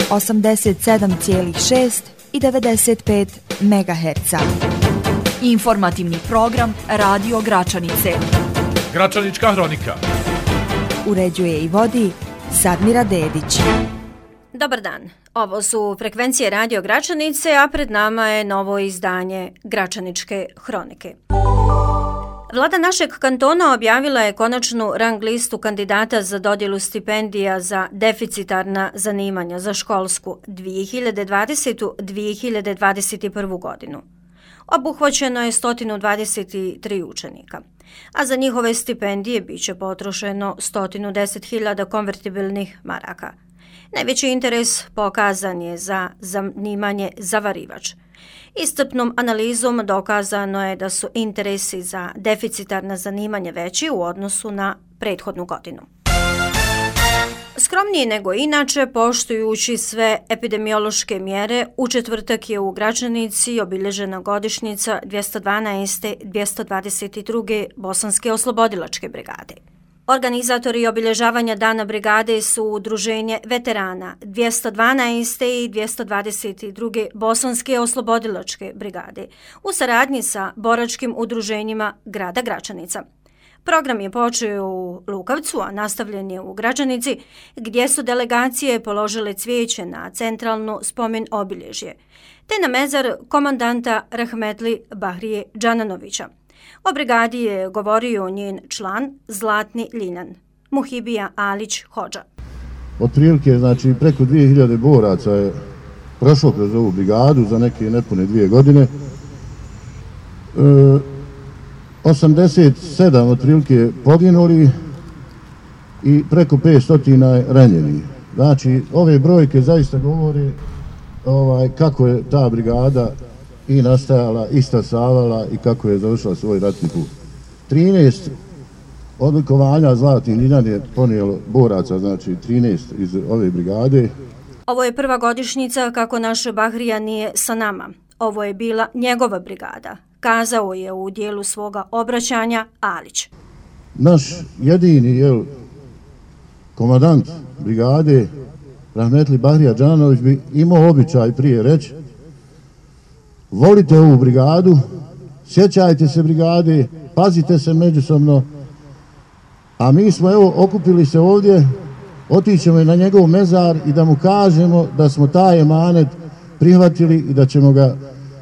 87,6 i 95 MHz. Informativni program Radio Gračanice. Gračanička hronika. Uređuje i vodi Sadmira Dedić. Dobar dan. Ovo su frekvencije Radio Gračanice, a pred nama je novo izdanje Gračaničke hronike. Vlada našeg kantona objavila je konačnu rang listu kandidata za dodjelu stipendija za deficitarna zanimanja za školsku 2020-2021 godinu. Obuhvaćeno je 123 učenika, a za njihove stipendije biće potrošeno 110.000 konvertibilnih maraka. Najveći interes pokazan je za zanimanje zavarivač. Iscrpnom analizom dokazano je da su interesi za deficitarna zanimanja veći u odnosu na prethodnu godinu. Skromniji nego inače, poštujući sve epidemiološke mjere, u četvrtak je u Gračanici obilježena godišnjica 212. 222. Bosanske oslobodilačke brigade. Organizatori obilježavanja Dana brigade su Udruženje veterana 212. i 222. Bosanske oslobodilačke brigade u saradnji sa boračkim udruženjima grada Gračanica. Program je počeo u Lukavcu, a nastavljen je u Gračanici, gdje su delegacije položile cvijeće na centralno spomen obilježje, te na mezar komandanta Rahmetli Bahrije Džananovića. O brigadi je govorio njen član Zlatni Ljinan, Muhibija Alić Hodža. Otprilike, znači, preko 2000 boraca je prošlo kroz ovu brigadu za neke nepune 2 godine. 87 otprilike poginuli i preko 500 ranjeni. Znači, ove brojke zaista govore kako je ta brigada i nastajala, i stasavala i kako je završila svoj ratni put. 13 odlikovanja Zlatni Ljinan je ponijelo boraca, znači 13 iz ove brigade. Ovo je prva godišnjica kako naš Bahrija nije sa nama. Ovo je bila njegova brigada, kazao je u dijelu svoga obraćanja Alić. Naš jedini komandant brigade, Rahmetli Bahrija Džananović, bi imao običaj prije reći: volite ovu brigadu, sjećajte se brigade, pazite se međusobno, a mi smo okupili se ovdje, otićemo na njegov mezar i da mu kažemo da smo taj emanet prihvatili i da ćemo ga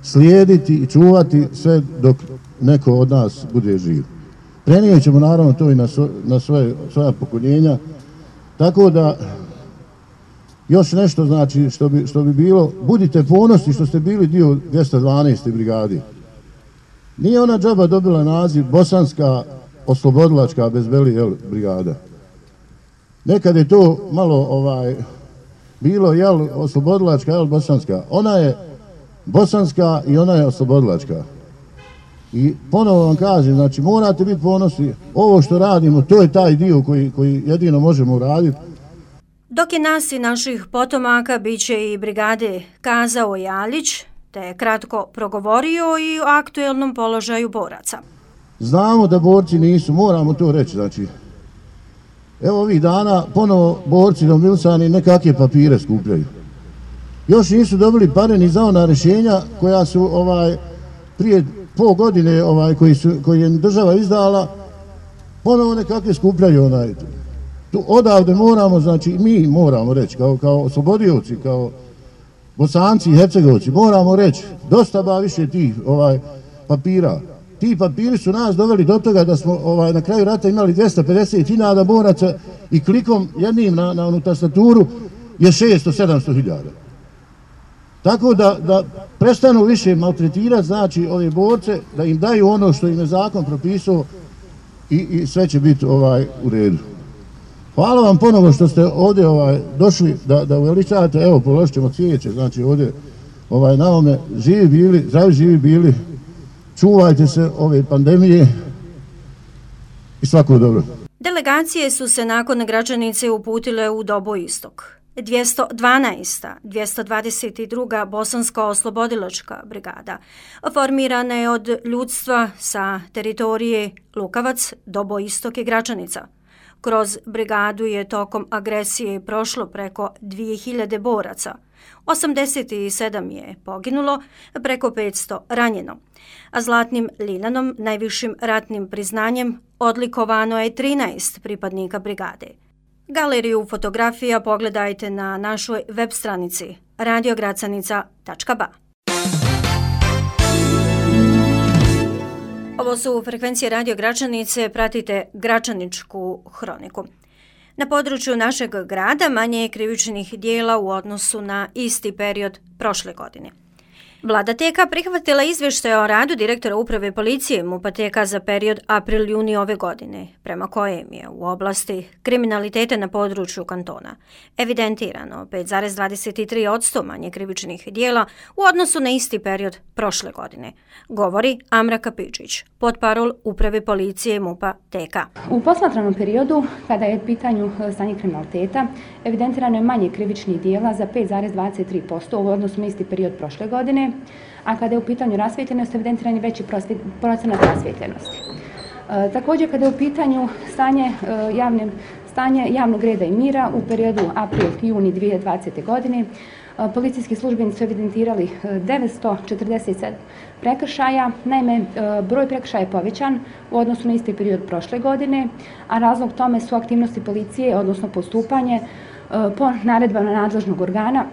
slijediti i čuvati sve dok neko od nas bude živ. Prenijet ćemo naravno to i na svoja pokoljenja, tako da još nešto, znači, što bi bilo, budite ponosni što ste bili dio 212. brigade. Nije ona džaba dobila naziv Bosanska oslobodilačka bez veli brigada. Nekad je to malo bilo oslobodilačka bosanska. Ona je bosanska i ona je oslobodilačka. I ponovo vam kažem, znači, morate biti ponosni. Ovo što radimo, to je taj dio koji jedino možemo uraditi. Dok je nas i naših potomaka bit će i brigade, kazao je Alić, te kratko progovorio i o aktuelnom položaju boraca. Znamo da borci nisu, moramo to reći, znači, evo ovih dana ponovo borci domilsani nekakve papire skupljaju. Još nisu dobili pare ni za ona rješenja koja su prije pol godine koji je država izdala, ponovo nekakve skupljaju odavde moramo, znači mi moramo reći kao oslobodioci, kao Bosanci i Hercegovci, moramo reći dosta više tih papira. Ti papiri su nas doveli do toga da smo na kraju rata imali 250.000 boraca i klikom jednim na onu tastaturu je 600-700 hiljada. Tako da prestanu više maltretirati, znači, ove borce, da im daju ono što im je zakon propisao i sve će biti u redu. Hvala vam ponovo što ste ovdje došli da uveličate, evo položit ćemo cvijeće, znači ovdje na ovome živi bili, zdravi živi bili, čuvajte se ove pandemije i svako dobro. Delegacije su se nakon Gračanice uputile u Dobo Istok. 212. 222. Bosanska oslobodilačka brigada formirana je od ljudstva sa teritorije Lukavac, Dobo Istok i Gračanica. Kroz brigadu je tokom agresije prošlo preko 2000 boraca. 87 je poginulo, preko 500 ranjeno. A Zlatnim liljanom, najvišim ratnim priznanjem, odlikovano je 13 pripadnika brigade. Galeriju fotografija pogledajte na našoj web stranici radiogracanica.ba. Ovo su frekvencije Radio Gračanice, pratite Gračaničku hroniku. Na području našeg grada manje je krivičnih dijela u odnosu na isti period prošle godine. Vlada TK prihvatila izvještaj o radu direktora uprave policije MUP-a TK za period april-juni ove godine, prema kojem je u oblasti kriminaliteta na području kantona evidentirano 5,23% manje krivičnih dijela u odnosu na isti period prošle godine, govori Amra Kapičić, potparol uprave policije MUP-a TK. U posmatranom periodu, kada je u pitanju stanje kriminaliteta, evidentirano je manje krivičnih dijela za 5,23% u odnosu na isti period prošle godine, a kada je u pitanju rasvijetljenost, evidentiran je veći procenat rasvijetljenosti. Također, kada je u pitanju stanje javnog reda i mira u periodu april-juni 2020. godine, policijski službenici su evidentirali 947 prekršaja. Naime, broj prekršaja je povećan u odnosu na isti period prošle godine, a razlog tome su aktivnosti policije, odnosno postupanje po naredbama nadležnog organa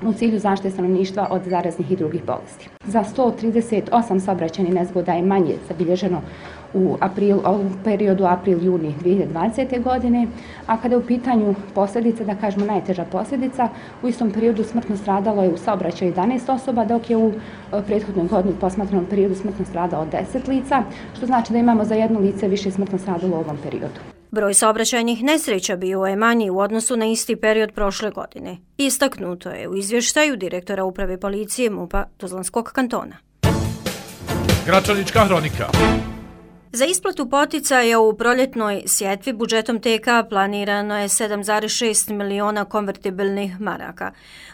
u cilju zaštite stanovništva od zaraznih i drugih bolesti. Za 138 saobraćajnih nezgoda je manje zabilježeno u periodu april-juni 2020. godine, a kada je u pitanju posljedica, da kažemo najteža posljedica, u istom periodu smrtno stradalo je u saobraćaju 11 osoba, dok je u prethodnoj godini posmatranom periodu smrtno stradalo 10 lica, što znači da imamo za jedno lice više smrtno stradalo u ovom periodu. Broj saobraćajnih nesreća bio je manji u odnosu na isti period prošle godine. Istaknuto je u izvještaju direktora uprave policije MUP-a Tuzlanskog kantona. Gračanička hronika. Za isplatu poticaja u proljetnoj sjetvi budžetom TK planirano je 7,6 miliona konvertibilnih maraka.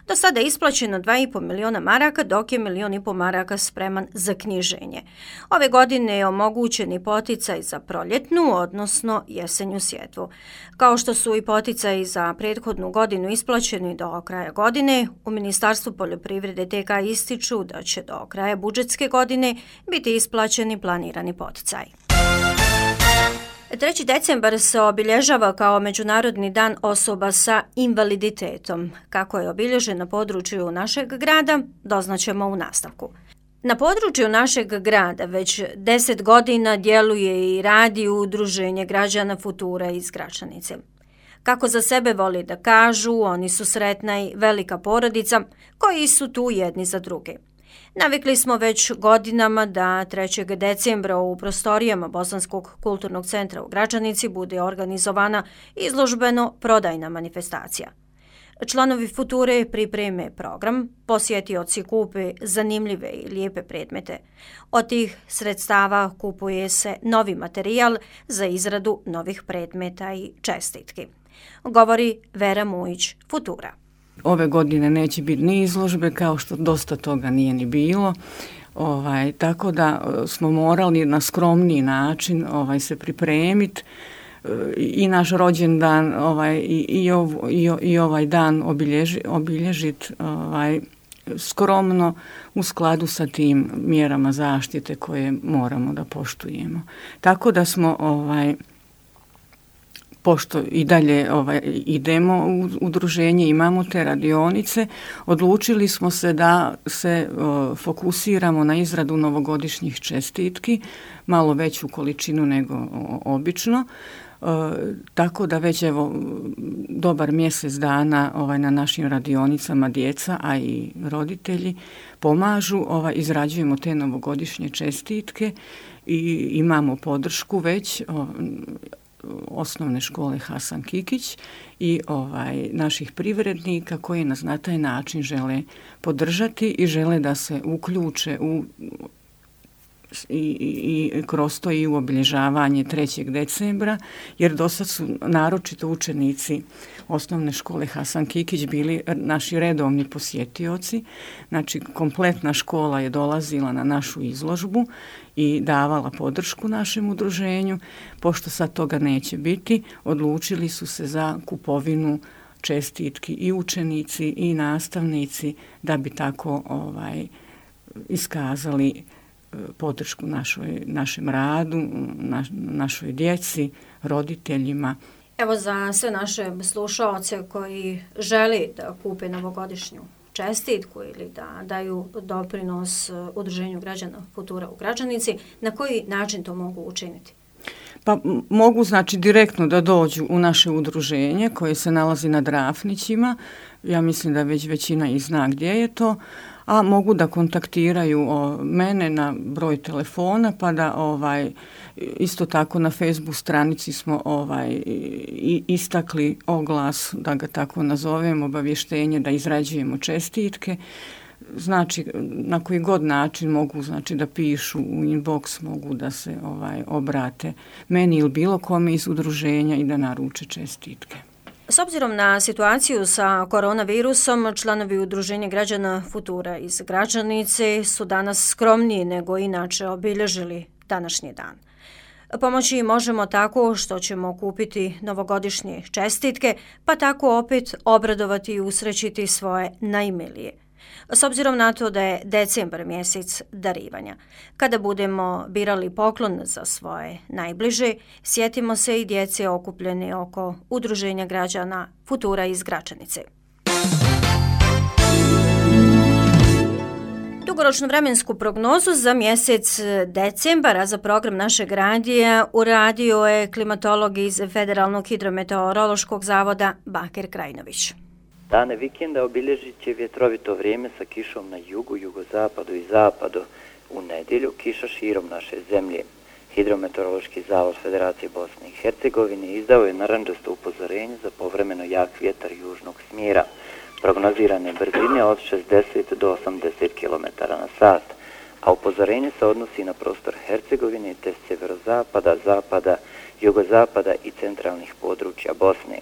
Do sada je isplaćeno 2,5 miliona maraka, dok je 1,5 miliona maraka spreman za knjiženje. Ove godine je omogućen i poticaj za proljetnu, odnosno jesenju sjetvu. Kao što su i poticaji za prethodnu godinu isplaćeni do kraja godine, u Ministarstvu poljoprivrede TK ističu da će do kraja budžetske godine biti isplaćeni planirani poticaj. 3. decembar se obilježava kao Međunarodni dan osoba sa invaliditetom. Kako je obilježen na području našeg grada, doznaćemo u nastavku. Na području našeg grada već 10 godina djeluje i radi Udruženje građana Futura iz Gračanice. Kako za sebe voli da kažu, oni su sretna i velika porodica koji su tu jedni za druge. Navikli smo već godinama da 3. decembra u prostorijama Bosanskog kulturnog centra u Gračanici bude organizovana izložbeno-prodajna manifestacija. Članovi Future pripreme program, posjetioci kupe zanimljive i lijepe predmete. Od tih sredstava kupuje se novi materijal za izradu novih predmeta i čestitki, govori Vera Mujić, Futura. Ove godine neće biti ni izložbe, kao što dosta toga nije ni bilo. Tako da smo morali na skromniji način se pripremiti i naš rođendan i ovaj dan obilježiti skromno u skladu sa tim mjerama zaštite koje moramo da poštujemo. Tako da smo pošto i dalje idemo u udruženje, imamo te radionice, odlučili smo se da se fokusiramo na izradu novogodišnjih čestitki, malo veću količinu nego obično, tako da već dobar mjesec dana na našim radionicama djeca, a i roditelji pomažu, izrađujemo te novogodišnje čestitke i imamo podršku već osnovne škole Hasan Kikić i naših privrednika koji nas na taj način žele podržati i žele da se uključe u i kroz to i u obilježavanje 3. decembra, jer do sad su naročito učenici osnovne škole Hasan Kikić bili naši redovni posjetioci. Znači, kompletna škola je dolazila na našu izložbu i davala podršku našem udruženju. Pošto sad toga neće biti, odlučili su se za kupovinu čestitki i učenici i nastavnici da bi tako iskazali podršku našem radu, našoj djeci, roditeljima. Evo za sve naše slušaoce koji želi da kupe novogodišnju čestitku ili da daju doprinos Udruženju građana Futura u Gračanici, na koji način to mogu učiniti? Pa mogu znači direktno da dođu u naše udruženje koje se nalazi na Drafnićima. Ja mislim da već većina i zna gdje je to, a mogu da kontaktiraju mene na broj telefona, pa da isto tako na Facebook stranici smo istakli oglas, da ga tako nazovem, obavještenje da izrađujemo čestitke. Znači, na koji god način mogu da pišu u inbox, mogu da se obrate meni ili bilo kome iz udruženja i da naruče čestitke. S obzirom na situaciju sa koronavirusom, članovi Udruženja građana Futura iz Gračanice su danas skromniji nego inače obilježili današnji dan. Pomoći im možemo tako što ćemo kupiti novogodišnje čestitke, pa tako opet obradovati i usrećiti svoje najmilije. S obzirom na to da je decembar mjesec darivanja. Kada budemo birali poklon za svoje najbliže, sjetimo se i djece okupljene oko Udruženja građana Futura iz Gračanice. Dugoročnu vremensku prognozu za mjesec decembara za program našeg radija uradio je klimatolog iz Federalnog hidrometeorološkog zavoda Bakir Krajinović. Dane vikenda obilježit će vjetrovito vrijeme sa kišom na jugu, jugozapadu i zapadu. U nedjelju kiša širom naše zemlje. Hidrometeorološki zavod Federacije Bosne i Hercegovine izdao je narandžasto upozorenje za povremeno jak vjetar južnog smjera. Prognozirane brzine od 60 do 80 km na sat, a upozorenje se odnosi na prostor Hercegovine te sjeverozapada, zapada, jugozapada i centralnih područja Bosne.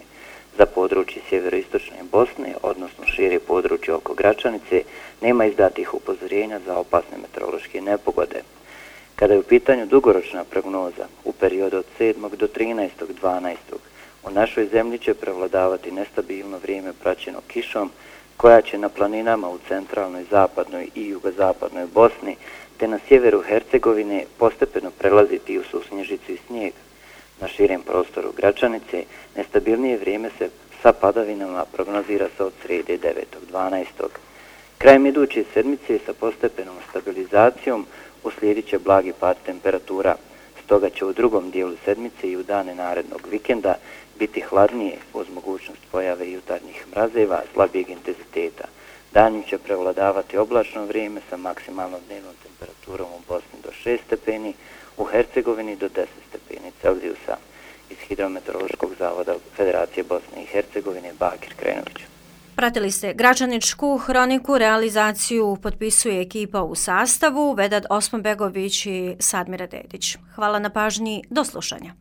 Za područje sjeveroistočne Bosne, odnosno šire područje oko Gračanice, nema izdatih upozorenja za opasne meteorološke nepogode. Kada je u pitanju dugoročna prognoza, u periodu od 7. do 13.12. u našoj zemlji će prevladavati nestabilno vrijeme praćeno kišom, koja će na planinama u centralnoj, zapadnoj i jugozapadnoj Bosni, te na sjeveru Hercegovine postepeno prelaziti u susnježicu i snijeg. Na širem prostoru Gračanice nestabilnije vrijeme se sa padavinama prognozira se od srijede 9.12. Krajem iduće sedmice sa postepenom stabilizacijom uslijedit će blagi pad temperatura. Stoga će u drugom dijelu sedmice i u dane narednog vikenda biti hladnije uz mogućnost pojave jutarnjih mrazeva slabijeg intenziteta. Danju će prevladavati oblačno vrijeme sa maksimalnom dnevnom temperaturom u Bosni do 6 stepeni, u Hercegovini do 10 stepeni Celzijusa. Iz Hidrometeorološkog zavoda Federacije Bosne i Hercegovine Bakir Krajinović. Pratili ste Gračaničku hroniku, realizaciju potpisuje ekipa u sastavu Vedad Osmanbegović i Sadmira Dedić. Hvala na pažnji, do slušanja.